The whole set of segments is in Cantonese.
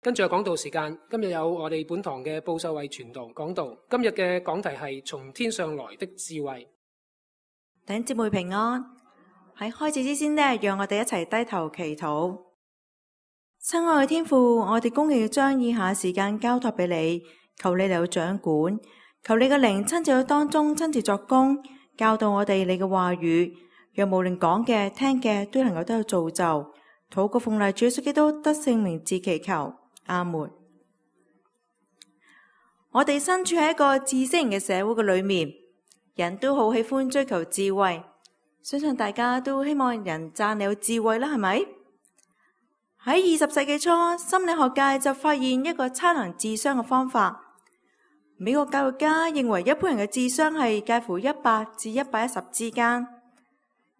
跟住講道時間，今日有我哋本堂嘅布秀慧傳道講道。今日嘅講題係從天上來的智慧。弟兄姊妹平安。喺開始之前呢，讓我哋一齊低頭祈禱。親愛嘅天父，我哋恭敬要將以下時間交託俾你，求你嚟到掌管，求你嘅靈親自喺當中親自作工，教導我哋你嘅話語，讓無論講嘅聽嘅都能夠得到造就。禱告奉賴主耶穌基督得聖名字祈求。阿門。我哋身處喺一個知識型嘅社會嘅裏面，人都好喜歡追求智慧，相信大家都希望人讚你有智慧啦，係咪？喺20世紀初，心理學界就發現一個測量智商嘅方法。美國教育家認為一般人嘅智商係介乎100至110之間。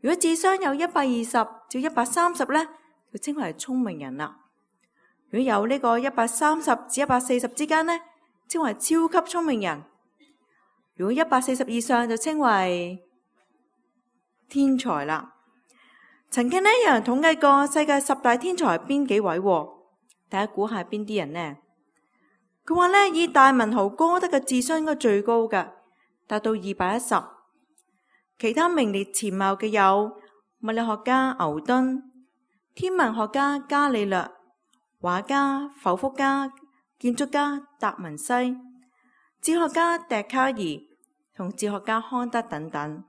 如果智商有120至130呢，就稱為聰明人啦。如果有呢個130至140之間呢，稱為超級聰明人。如果140以上就稱為天才啦。曾經呢，有人統計過世界10大天才係邊幾位？大家估下邊啲人呢？佢話呢，以大文豪歌德嘅智商應該最高嘅，達到210。其他名列前茅嘅有物理學家牛頓、天文學家伽利略、畫家浮福家、建築家達文西、哲學家笛卡爾同哲學家康德等等。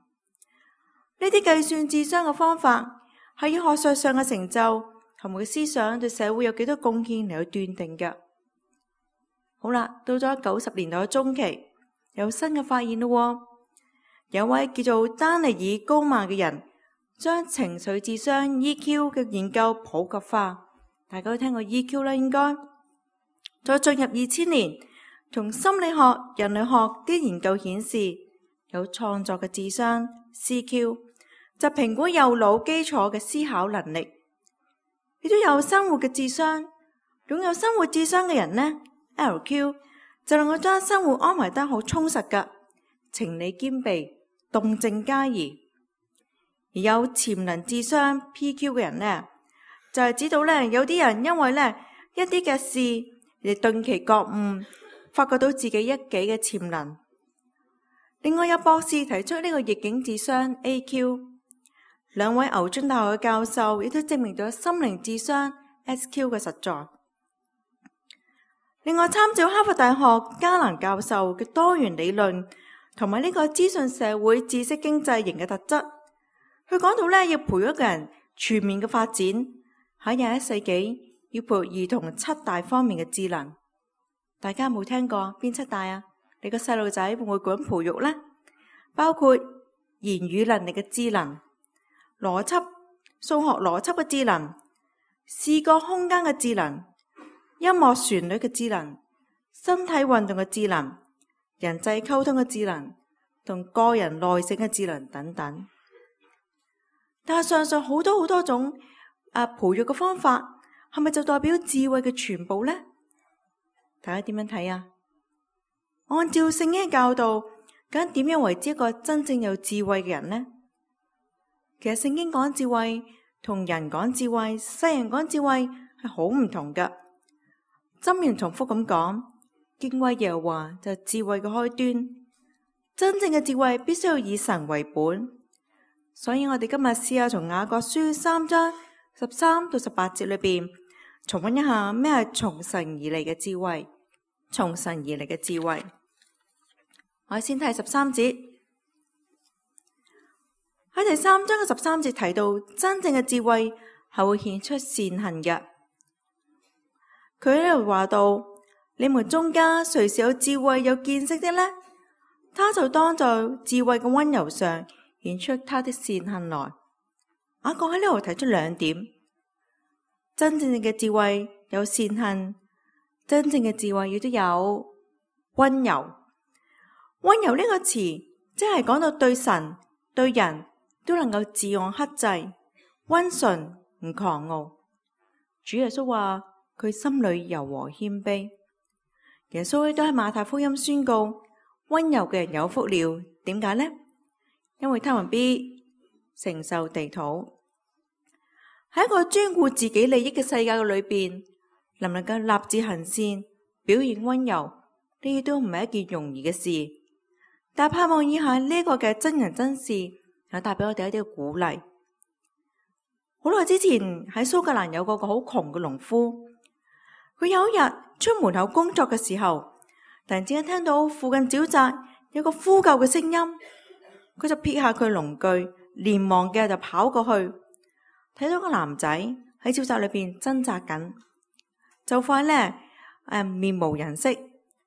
呢啲計算智商嘅方法係以學術上嘅成就同埋思想對社會有幾多貢獻嚟去斷定嘅。好啦，到咗90年代嘅中期，有新嘅發現咯。有位叫做丹尼爾高曼嘅人，將情緒智商 EQ 嘅研究普及化。大家都聽過 EQ 啦，應該。再進入2000年，從心理學、人類學啲研究顯示，有創作嘅智商 CQ， 就評估右腦基礎嘅思考能力。亦都有生活嘅智商，擁有生活智商嘅人呢 LQ， 就能夠將生活安排得好充實嘅，情理兼備，動靜皆宜。而有潛能智商 PQ 嘅人呢，就係指到呢，有啲人因為呢一啲嘅事嚟頓期覺悟，發覺到自己一己嘅潛能。另外有博士提出呢個逆境智商 AQ， 兩位牛津大學嘅教授亦都證明咗心靈智商 SQ 嘅實在。另外參照哈佛大學加蘭教授嘅多元理論同埋呢個資訊社會知識經濟型嘅特質，佢講到呢，要培育一個人全面嘅發展。喺21世紀要培育兒童7大方面嘅智能，大家有冇聽過邊7大啊？你個細路仔會唔會咁培育呢？包括言語能力嘅智能、邏輯、數學邏輯嘅智能、視覺空間嘅智能、音樂旋律嘅智能、身體運動嘅智能、人際溝通嘅智能同個人耐性嘅智能等等。但係上述好多種培育嘅方法係咪就代表智慧嘅全部呢？大家點樣睇啊？按照聖經嘅教導，究竟點樣為之一個真正有智慧嘅人呢？其實聖經講智慧同人講智慧、世人講智慧係好唔同㗎。箴言重複咁講，敬畏耶和華就係智慧嘅開端。真正嘅智慧必須要以神為本，所以我哋今日試下從雅各書3章13到18節裏邊重溫一下咩係從神而嚟嘅智慧。從神而嚟嘅智慧，我哋先睇13節。喺第3章嘅13節提到，真正嘅智慧係會顯出善行嘅。佢喺度話到，你們中間誰是有智慧有見識的呢？他就當在智慧嘅溫柔上顯出他的善行來。雅各喺呢度提出2點：真正嘅智慧有善行，真正嘅智慧亦都有溫柔。溫柔呢個詞，即係講到對神對人都能夠自我克制，溫順唔狂傲。主耶穌話佢心裏柔和謙卑。耶穌亦都喺馬太福音宣告，溫柔嘅人有福了。點解呢？因為他們必承受地土。喺一個專顧自己利益嘅世界嘅裏邊，能唔能夠立志行善，表現溫柔，呢啲都唔係一件容易嘅事。但盼望以下呢個嘅真人真事，有帶俾我哋一啲嘅鼓勵。好耐之前喺蘇格蘭有個好窮嘅農夫，佢有一日出門口工作嘅時候，突然之間聽到附近沼澤有個呼救嘅聲音，佢就撇下佢農具，連忙嘅就跑過去，睇到個男仔喺沼澤裏邊掙扎緊，就快呢面無人色，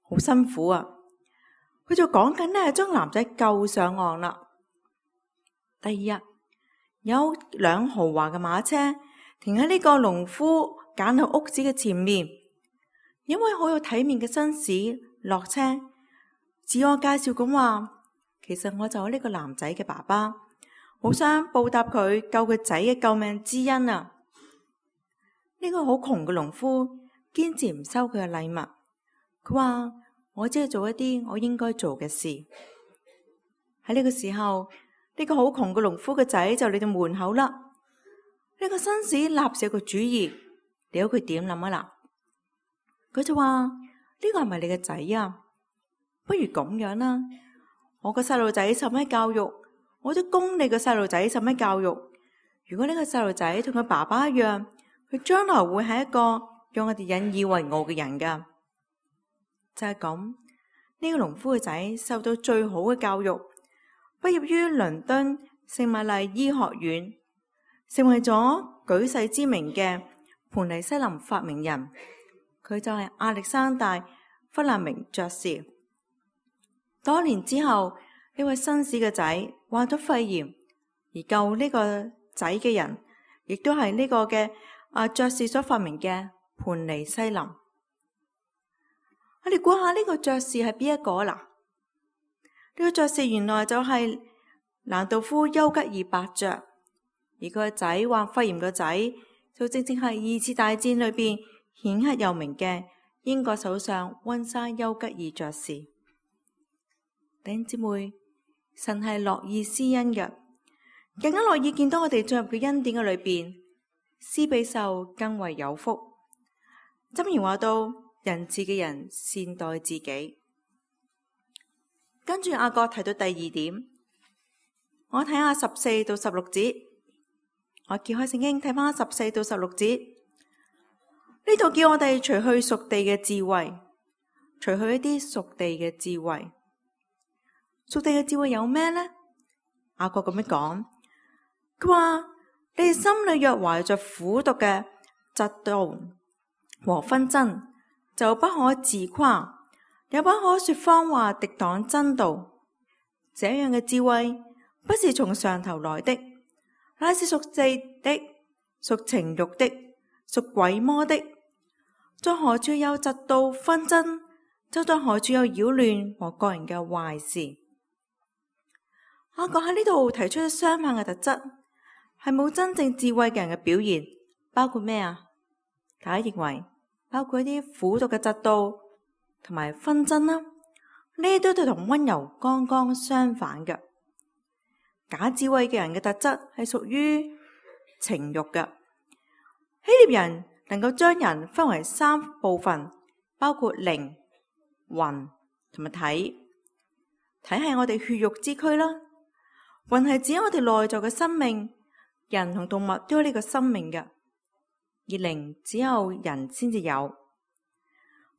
好辛苦啊！佢就講緊呢將男仔救上岸啦。第二日有輛豪華嘅馬車停喺呢個農夫簡陋屋子嘅前面，一位好有體面嘅紳士落車，自我介紹咁話：其實我就係呢個男仔嘅爸爸，好想報答佢救佢仔嘅救命之恩啊！呢個好窮嘅農夫堅持唔收佢嘅禮物，佢話：我只係做一啲我應該做嘅事。喺呢個時候，呢個好窮嘅農夫嘅仔就嚟到門口啦。呢個紳士立時有個主意，你睇佢點諗啊啦？佢就話：呢個係咪你嘅仔啊？不如咁樣啦，我個細路仔受咩教育，我都供你個細路仔受咩教育。如果呢個細路仔同佢爸爸一樣，佢將來會係一個讓我哋引以為傲嘅人噶。就係咁，呢個農夫嘅仔受到最好嘅教育，畢業於倫敦聖瑪麗醫學院，成為咗舉世知名嘅盤尼西林發明人。佢就係亞歷山大·弗勒明爵士。多年之後，呢位紳士嘅仔患咗肺炎，而救呢個仔嘅人，亦都係呢個嘅爵士所發明嘅盤尼西林。我哋估下呢個爵士係邊一個啦？呢個爵士原來就係蘭道夫·丘吉爾伯爵，而佢個仔患肺炎個仔就正正係二次大戰裏邊顯赫有名嘅英國首相溫莎丘吉爾爵士。弟兄姊妹，神係樂意施恩嘅，更加樂意見到我哋進入佢恩典嘅裏邊，施比受更為有福。箴言話到：仁慈嘅人善待自己。跟住雅各提到第二點，我睇下14到16節，我揭開聖經睇翻14到16節，呢度叫我哋除去屬地嘅智慧，除去一啲屬地嘅智慧。屬地嘅智慧有咩呢？雅各咁樣講，佢話：你哋心裏若懷着苦毒嘅嫉妒和紛爭，就不可自誇，也不可說謊話敵擋真道。這樣嘅智慧不是從上頭來的，乃是屬地的，屬情欲的，屬鬼魔的。在何處有嫉妒紛爭，就在何處有擾亂和各人嘅壞事。雅各喺呢度提出相反嘅特質，係冇真正智慧嘅人嘅表現，包括咩啊？大家認為包括一啲苦毒嘅嫉妒同埋紛爭啦，呢啲都係同溫柔剛剛相反嘅。假智慧嘅人嘅特質係屬於情欲嘅。希臘人能夠將人分為3部分，包括靈、魂同埋體。體係我哋血肉之軀啦。魂係指我哋內在嘅生命，人同動物都有呢個生命嘅，而靈只有人先至有。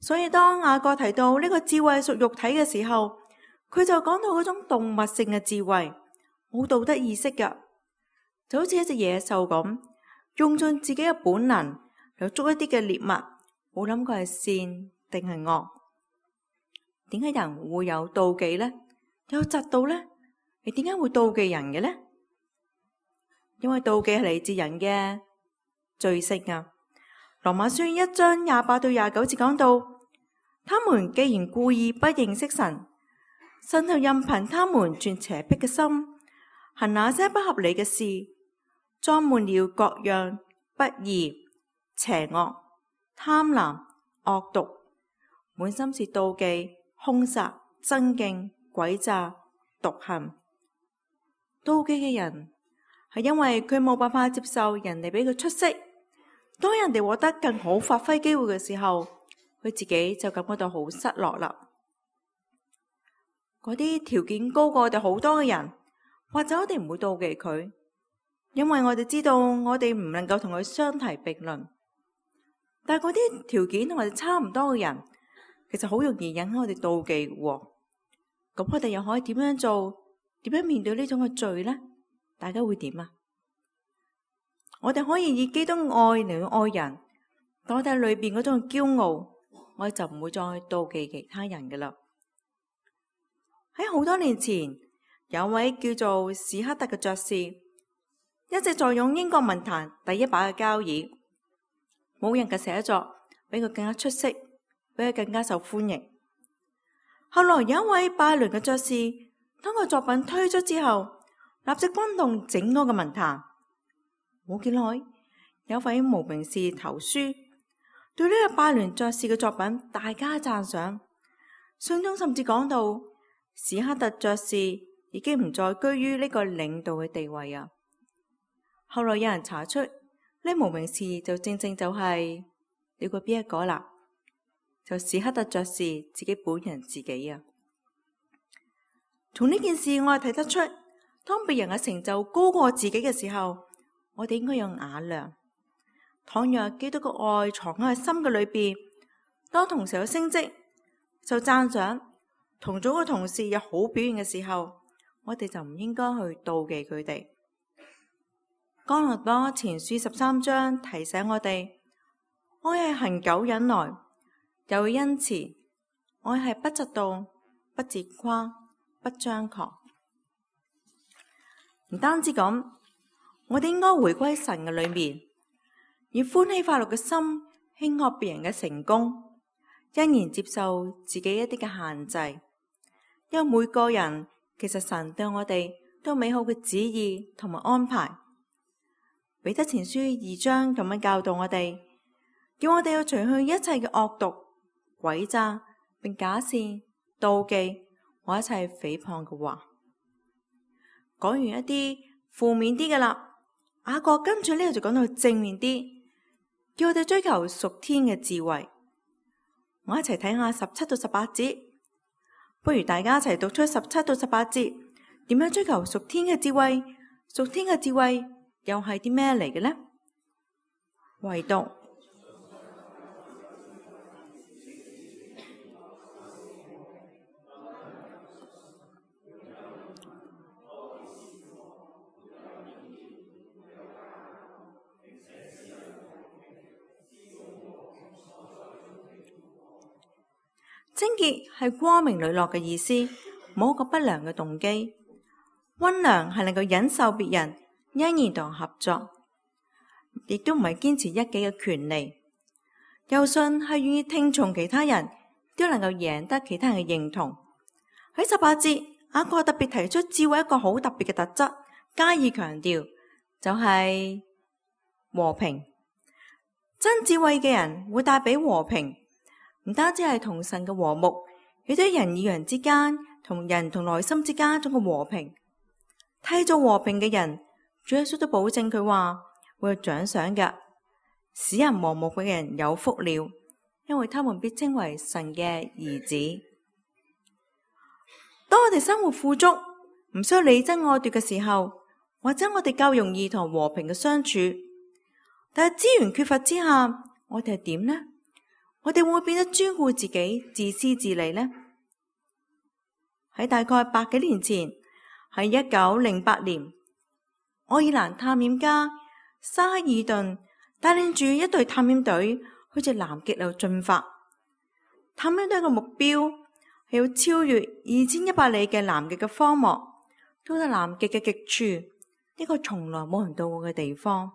所以當雅各提到呢個智慧屬肉體嘅時候，佢就講到嗰種動物性嘅智慧，冇道德意識嘅，就好似一隻野獸咁，用盡自己嘅本能嚟捉一啲嘅獵物，冇諗過係善定係惡。點解人會有妒忌呢？有嫉妒呢？你點解會妒忌人嘅呢？因為妒忌係嚟自人嘅罪性啊。羅馬書1章28到29節講到，他們既然故意不認識神，神就任憑他們存邪僻嘅心，行那些不合理嘅事，裝滿了各樣不義、邪惡、貪婪、惡毒，滿心是妒忌、兇殺、爭競、詭詐、毒恨。妒忌嘅人係因為佢冇辦法接受人哋俾佢出色，當人哋獲得更好發揮機會嘅時候，佢自己就感覺到好失落啦。嗰啲條件高過我哋好多嘅人，或者我哋唔會妒忌佢，因為我哋知道我哋唔能夠同佢相提並論。但係嗰啲條件同我哋差唔多嘅人，其實好容易引起我哋妒忌喎。咁我哋又可以點樣做？點樣面對呢種嘅罪呢？大家會點啊？我哋可以以基督愛嚟去愛人，但我哋裏邊嗰種驕傲，我哋就唔會再妒忌其他人㗎喇。喺好多年前，有位叫做史克特嘅爵士，一直坐擁英國文壇第一把嘅交椅，冇人嘅寫作比佢更加出色，比佢更加受歡迎。後來有一位拜倫嘅爵士，當個作品推出之後，立即轟動整個嘅文壇。冇幾耐，有位無名氏投書，對呢個拜倫爵士嘅作品大加讚賞。信中甚至講到，史克特爵士已經唔再居於呢個領導嘅地位啊。後來有人查出，呢無名氏就正正就係你估邊一個啦？就史克特爵士自己本人自己啊。從呢件事我係睇得出，當別人嘅成就高過自己嘅時候，我哋應該有雅量。倘若基督嘅愛藏喺心嘅裏邊，當同事有升職、受讚賞，同組嘅同事有好表現嘅時候，我哋就唔應該去妒忌佢哋。哥林多前書13章提醒我哋，愛係恆久忍耐，又恩慈，愛係不嫉妒、不自誇、不張狂。唔單止咁，我哋應該回歸神嘅裏面，以歡喜快樂嘅心慶賀別人嘅成功，欣然接受自己一啲嘅限制。因為每個人其實神對我哋都有美好嘅旨意同埋安排。彼得前書2章咁樣教導我哋，叫我哋要除去一切嘅惡毒、詭詐，並假善、妒忌和一切誹謗嘅話。講完一啲負面啲嘅啦，雅各跟住呢度就講到正面啲，叫我哋追求屬天嘅智慧。我一齊睇下17到18節，不如大家一齊讀出17到18節，點樣追求屬天嘅智慧？屬天嘅智慧又係啲咩嚟嘅呢？唯獨貞潔係光明磊落嘅意思，冇一個不良嘅動機。溫良係能夠忍受別人，欣然同合作，亦都唔係堅持一己嘅權利。柔順係願意聽從其他人，都能夠贏得其他人嘅認同。喺18節，雅各特別提出智慧一個好特別嘅特質，加以強調，就係和平。真智慧嘅人會帶俾和平。唔單止係同神嘅和睦，亦都係人與人之間，同人同內心之間一種嘅和平。締造和平嘅人，主耶穌都保證佢話會有獎賞嘅。使人和睦嘅人有福了，因為他們必稱為神嘅兒子。當我哋生活富足，唔需要你爭我奪嘅時候，或者我哋夠容易同和平嘅相處，但係資源缺乏之下，我哋係點呢？我哋會唔會變得專顧自己、自私自利呢？喺大概100幾年前，喺1908年，愛爾蘭探險家沙克爾頓帶領住一隊探險隊去至南極度進發。探險隊嘅目標係要超越2100里嘅南極嘅荒漠，到達南極嘅極處，一個從來冇人到過嘅地方。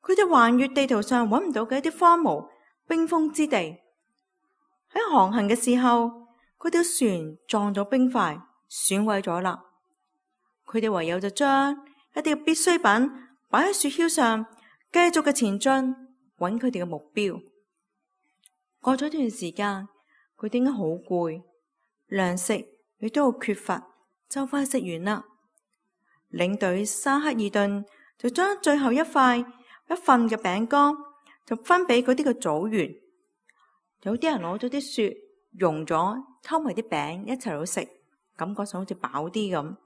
佢哋橫越地圖上揾唔到嘅一啲荒蕪冰封之地，喺航行嘅時候，佢條船撞咗冰塊，損毀咗啦。佢哋唯有就將一啲必需品擺喺雪橇上，繼續嘅前進，揾佢哋嘅目標。過咗一段時間，佢哋應該好攰，糧食亦都好缺乏，就快食完啦。領隊沙克爾頓就將最後一塊一份嘅餅乾，就分俾嗰啲嘅組員。有啲人攞咗啲雪溶咗，溝埋啲餅一齊去食，感覺上好似飽啲咁。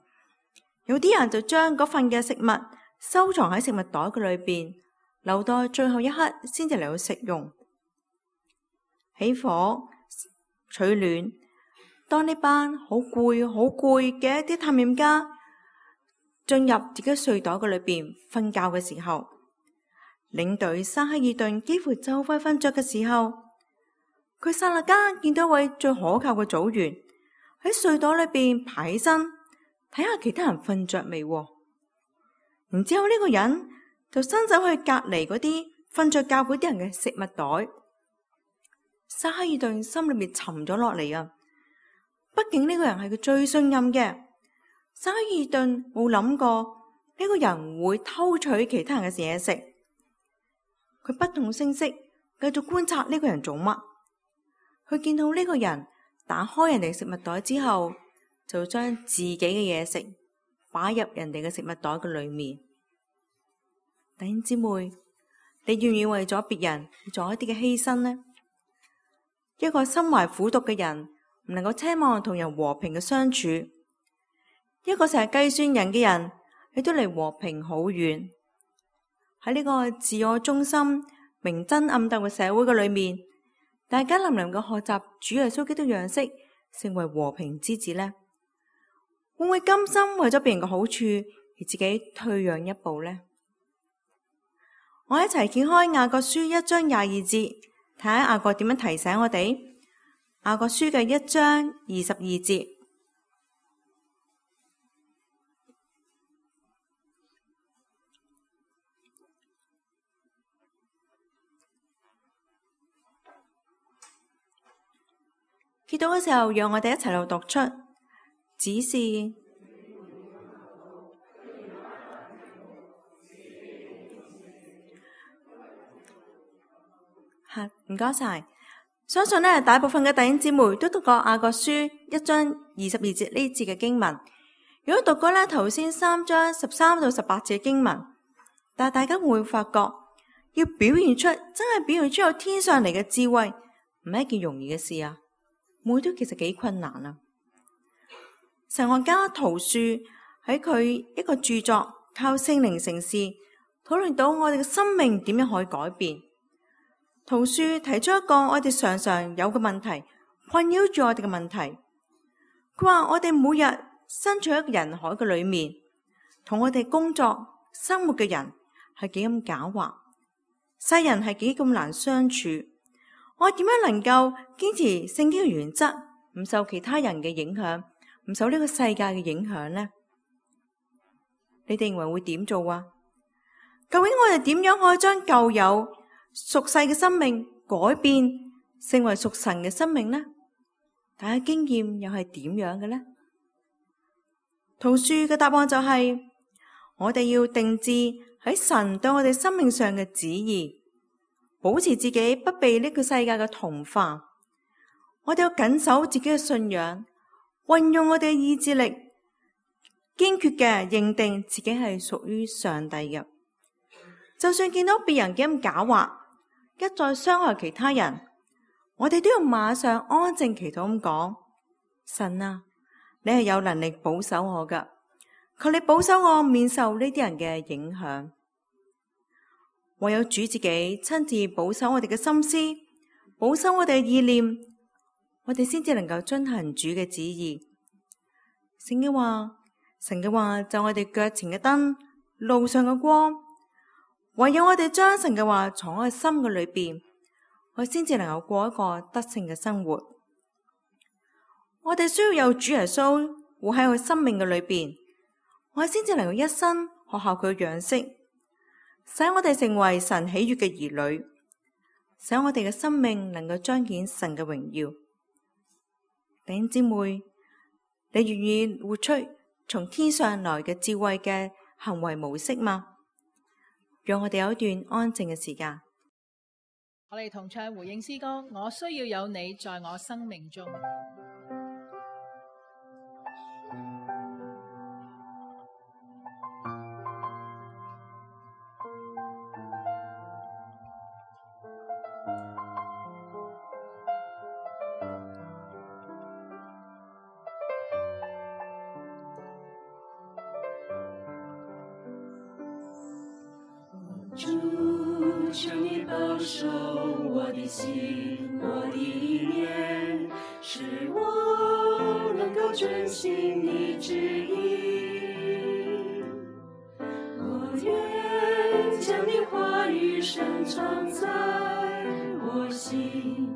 有啲人就將嗰份嘅食物收藏喺食物袋嘅裏邊，留到最後一刻先至嚟去食用。起火取暖。當呢班好攰嘅一啲探險家進入自己睡袋嘅裏邊瞓覺嘅時候，領隊沙克爾頓幾乎就快瞓着嘅時候，佢剎那間見到一位最可靠嘅組員喺睡袋裏邊爬起身，睇下其他人瞓着未。然之後呢個人就伸手去隔離嗰啲瞓着覺嗰啲人嘅食物袋。沙克爾頓心裏面沉咗落嚟啊！畢竟呢個人係佢最信任嘅，沙克爾頓冇諗過呢個人會偷取其他人嘅嘢食。佢不動聲色繼續觀察呢個人做乜。佢見到呢個人打開人哋食物袋之後，就將自己嘅嘢食擺入人哋嘅食物袋嘅裏面。弟兄姊妹，你願意為咗別人做一啲嘅犧牲呢？一個心懷苦毒嘅人唔能夠奢望同人和平嘅相處，一個成日計算人嘅人，亦都離和平好遠。喺呢個自我中心、明爭暗鬥嘅社會嘅裏面，大家能唔能夠學習主耶穌基督樣式，成為和平之子呢？會唔會甘心為咗別人嘅好處而自己退讓一步呢？我一齊揭開雅各書1章22節，睇下雅各點樣提醒我哋。雅各書嘅1章22節，揭到嘅時候，讓我哋一齊嚟讀出，只是唔該晒。相信呢，大部分嘅弟兄姊妹都讀過雅各書1章22節呢節嘅經文。如果讀過呢頭先3章13到18節嘅經文，但係大家會發覺，要表現出真係表現出有天上嚟嘅智慧，唔係一件容易嘅事啊！每都其實幾困難啊！神學家陶樹喺佢一個著作《靠聖靈成事》討論到我哋嘅生命點樣可以改變。陶樹提出一個我哋常常有嘅問題，困擾住我哋嘅問題。佢話我哋每日身處喺人海嘅裏面，同我哋工作生活嘅人係幾咁狡猾，世人係幾咁難相處。我點樣能夠堅持聖經嘅原則，唔受其他人嘅影響，唔受呢個世界嘅影響呢？你哋認為會點做啊？究竟我哋點樣可以將舊有屬世嘅生命改變成為屬神嘅生命呢？大家經驗又係點樣嘅呢？陶樹嘅答案就係，我哋要定志喺神對我哋生命上嘅旨意，保持自己不被呢個世界嘅同化。我哋要謹守自己嘅信仰，運用我哋嘅意志力，堅決嘅認定自己係屬於上帝嘅。就算見到別人幾咁狡猾，一再傷害其他人，我哋都要馬上安靜祈禱咁講：神啊，你係有能力保守我噶，求你保守我免受呢啲人嘅影響。唯有主自己親自保守我哋嘅心思，保守我哋嘅意念，我哋先至能夠遵行主嘅旨意。聖經話，神嘅話就我哋腳前嘅燈，路上嘅光。唯有我哋將神嘅話藏喺心嘅裏邊，我先至能夠過一個得勝嘅生活。我哋需要有主耶穌活喺佢生命嘅裏邊，我哋先至能夠一生學效佢嘅樣式，使我哋成為神喜悅嘅兒女，使我哋嘅生命能夠彰顯神嘅榮耀。弟兄姊妹，你願意活出從天上來嘅智慧嘅行為模式嗎？讓我哋有一段安靜嘅時間。我哋同唱回應詩歌，我需要有你在我生命中。主，求你保守我的心，我的意念，使我能够遵行你旨意。我愿将你话语深藏在我心，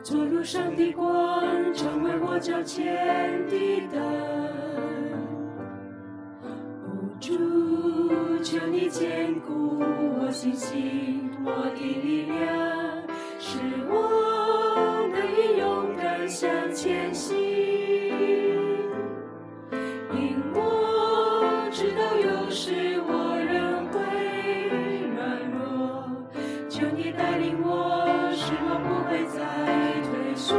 做路上的光，成为我脚前的灯。主，求你坚固我信心，我的力量，使我得以勇敢向前行。因我知道有时我仍会软弱，求你带领我，使我不会再退缩。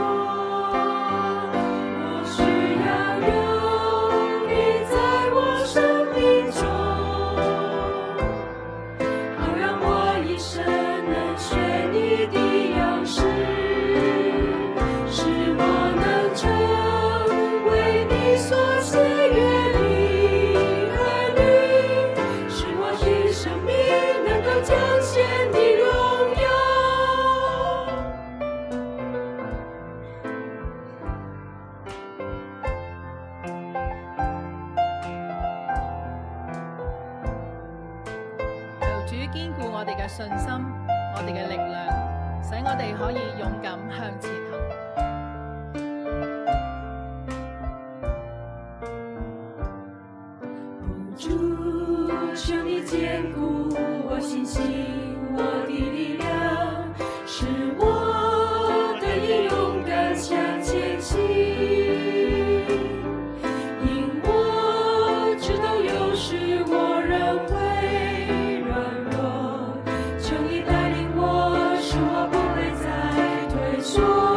主堅固我哋嘅信心，我哋嘅力量，使我哋可以勇敢向前行。主，求你坚固我信心，我的力量，使我得以勇敢向前行。因我知道有时我仍会软弱，求你带领我，使我不会再退缩。